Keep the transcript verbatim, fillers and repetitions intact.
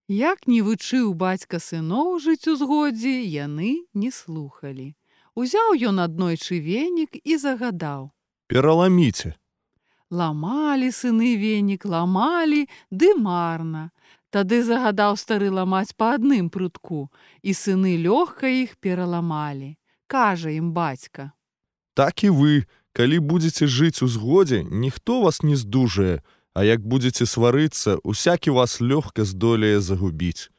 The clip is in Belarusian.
Як не вучыў бацька сыноў жыць у згодзе, яны не слухалі. Узяў ён аднойчы венік і загадаў: «Пераламіце». Ламалі сыны венік, ламалі, ды марна. Тады загадаў стары ламаць па адным прутку, і сыны лёгка іх пераламалі. Кажа ім бацька: «Так і вы, калі будзеце жыць у згодзе, ніхто вас не здужае, а як будзеце сварыцца, усякі вас лёгка здолее загубіць.